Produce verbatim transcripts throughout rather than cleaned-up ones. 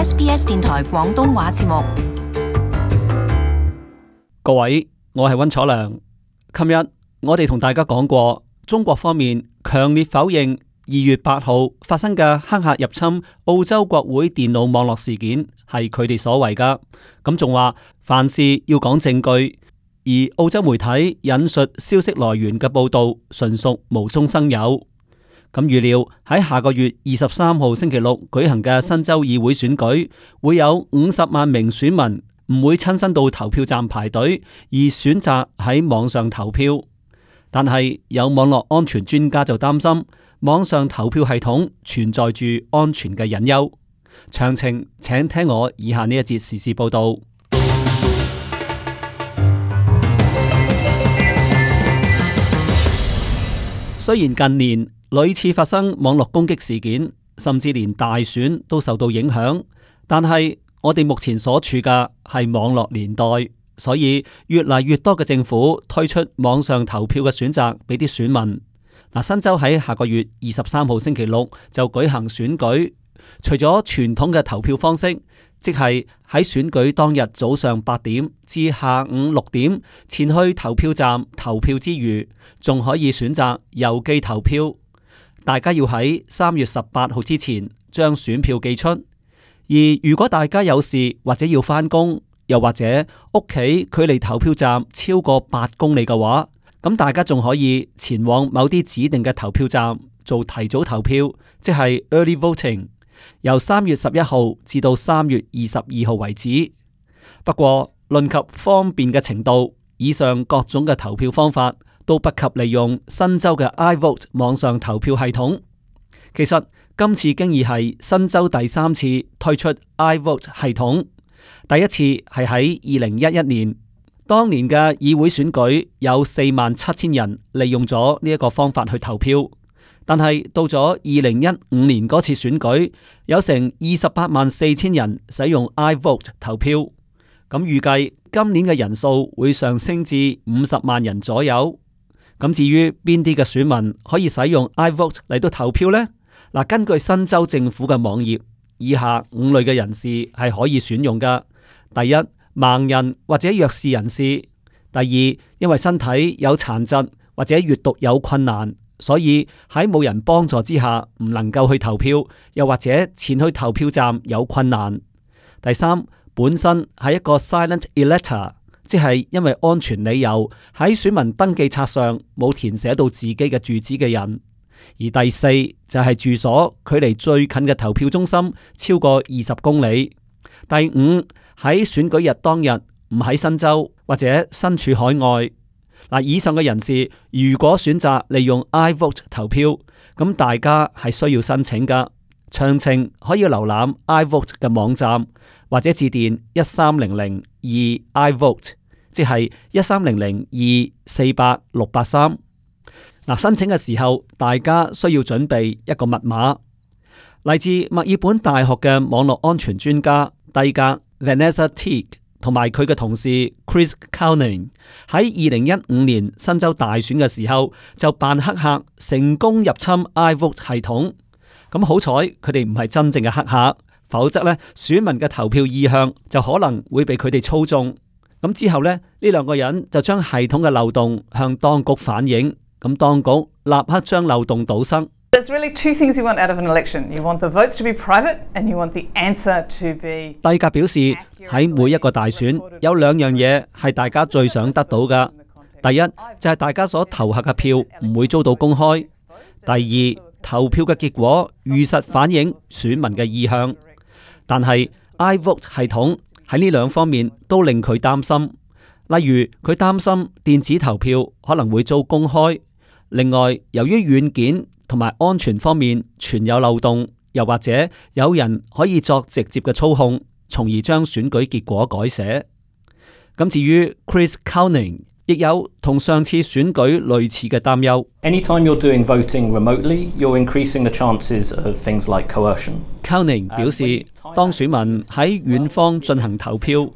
S B S 電台廣東話節目。各位，我係溫楚良。琴日我哋同大家講過，中國方面強烈否認二月八號發生嘅黑客入侵澳洲國會電腦網絡事件係佢哋所為噶，咁仲話凡事要講證據，而澳洲媒體引述消息來源嘅報道純屬無中生有。咁預料喺下個月二十三號星期六舉行嘅新州議會選舉，會有五十萬名選民唔會親身到投票站排隊，而選擇喺網上投票。但係有網絡安全專家就擔心，網上投票系統存在住安全嘅隱憂。詳情請聽我以下呢一節時事報道。雖然近年屢次發生網絡攻擊事件，甚至連大選都受到影響，但係我哋目前所處嘅係網絡年代，所以越嚟越多嘅政府推出網上投票嘅選擇俾啲選民。嗱，新州喺下個月二十三號星期六就舉行選舉，除咗傳統嘅投票方式，即係喺選舉當日早上八點至下午六點前去投票站投票之餘，仲可以選擇郵寄投票。大家要喺三月十八號之前將選票寄出，而如果大家有事或者要返工，又或者屋企距離投票站超過八公里嘅話，咁大家仲可以前往某啲指定嘅投票站做提早投票，即係 early voting， 由三月十一號至到三月二十二號為止。不過論及方便嘅程度，以上各種嘅投票方法都不及利用新州嘅 iVote 網上投票系統。其實今次經已係新州第三次推出 iVote 系統，第一次係喺二零一一年，當年嘅議會選舉有四萬七千人利用咗呢一個方法去投票，但係到咗二零一五年嗰次選舉，有成二十八萬四千人使用 iVote 投票，咁預計今年嘅人數會上升至五十萬人左右。咁至於邊啲嘅選民可以使用 iVote 嚟到投票呢？嗱，根據新州政府嘅網頁，以下五類嘅人士係可以選用㗎。第一，盲人或者弱視人士；第二，因為身體有殘疾或者閱讀有困難，所以喺冇人幫助之下唔能夠去投票，又或者前去投票站有困難；第三，本身係一個 silent elector，即係因為安全理由喺選民登記冊上冇填寫到自己嘅住址嘅人；而第四就係住所距離最近嘅投票中心超過二十公里；第五，喺選舉日當日唔喺新州或者身處海外。嗱，以上嘅人士如果選擇利用 iVote 投票，咁大家係需要申請噶。詳情可以瀏覽 iVote 嘅網站，或者致電一三零零二 iVote， 即係一三零零二四八六八三。嗱，申請嘅時候，大家需要準備一個密碼。嚟自墨爾本大學嘅網絡安全專家蒂格 Vanessa Teague 同埋佢嘅同事 Chris Cowning 喺二零一五年新州大選嘅時候就扮黑客成功入侵 iVote 系統。咁好彩佢哋唔係真正嘅黑客，否則呢選民嘅投票意向就可能會被佢哋操縱。咁之後呢，呢兩個人就將系統嘅漏洞向當局反映，咁當局立刻將漏洞堵塞。There's really two things you want out of an election. You want the votes to be private and you want the answer to be... 蒂格表示喺每一個大選有兩樣嘢係大家最想得到嘅。第一就係大家所投下嘅票唔會遭到公開。第二，投票嘅結果如實反映選民嘅意向。但係 iVote 系統喺呢兩方面都令佢擔心。例如佢擔心電子投票可能會遭公開。另外，由於軟件同埋安全方面存有漏洞，又或者有人可以作直接嘅操控，從而將選舉結果改寫。咁至於 Chris Cowning 亦有同上次選舉類似嘅擔憂。Anytime you're doing voting remotely, you're increasing the chances of things like coercion. Cowning 表示，當選民喺遠方進行投票，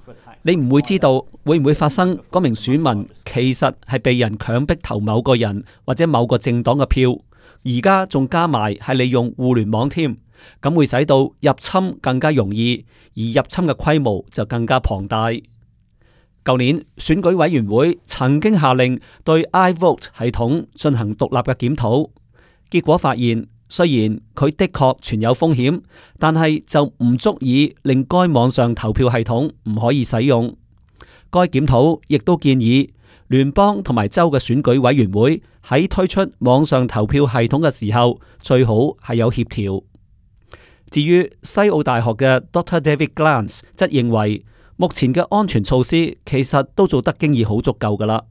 你唔會知道會唔會發生嗰名選民其實係被人強迫投某個人或者某個政黨嘅票，而家仲加埋係利用互聯網添，咁會使到入侵更加容易，而入侵嘅規模就更加龐大。舊年選舉委員會曾經下令對 iVote 系統進行獨立嘅檢討，結果發現雖然佢的確存有風險，但係就唔足以令該網上投票系統唔可以使用。該檢討亦都建議聯邦同埋州嘅選舉委員會喺推出網上投票系統嘅時候，最好係有協調。至於西澳大學嘅 Doctor David Glance 則認為，目前嘅安全措施其實都做得經已好足夠㗎喇。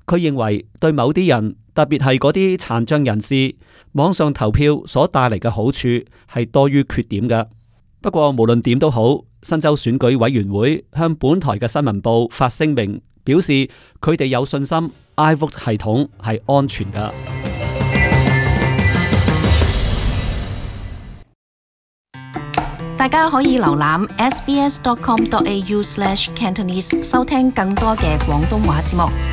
佢認為對某啲人，特別係嗰啲殘障人士，網上投票所帶嚟嘅好處係多於缺點嘅。不過無論點都好，新州選舉委員會向本台嘅新聞部發聲明，表示佢哋有信心 iVote 系統係安全㗎。大家可以瀏覽 s b s dot com dot a u slash cantonese 收聽更多嘅廣東話節目。